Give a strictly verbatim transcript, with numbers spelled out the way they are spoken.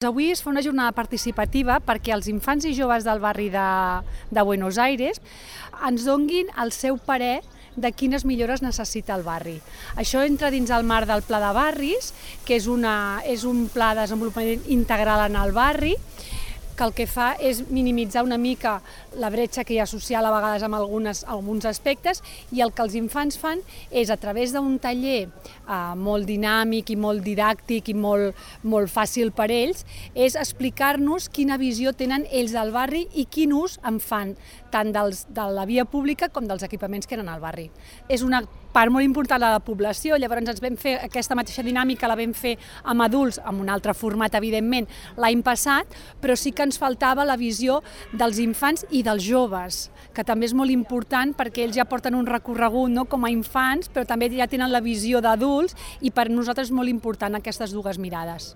Avui es fa una jornada participativa perquè els infants i joves del barri de, de Buenos Aires ens donguin el seu parer de quines millores necessita el barri. Això entra dins el marc del Pla de Barris, que és, una, és un pla de desenvolupament integral en el barri, que el que fa és minimitzar una mica la bretxa que hi ha social a vegades amb algunes, alguns aspectes, i el que els infants fan és, a través d'un taller eh, molt dinàmic i molt didàctic i molt, molt fàcil per ells, és explicar-nos quina visió tenen ells del barri i quin ús en fan, tant dels, de la via pública com dels equipaments que eren al barri. És una part molt important de la població, llavors ens vam fer aquesta mateixa dinàmica, la vam fer amb adults, amb un altre format, evidentment, l'any passat, però sí que ens faltava la visió dels infants i dels joves, que també és molt important perquè ells ja porten un recorregut, no?, com a infants, però també ja tenen la visió d'adults, i per nosaltres és molt important aquestes dues mirades.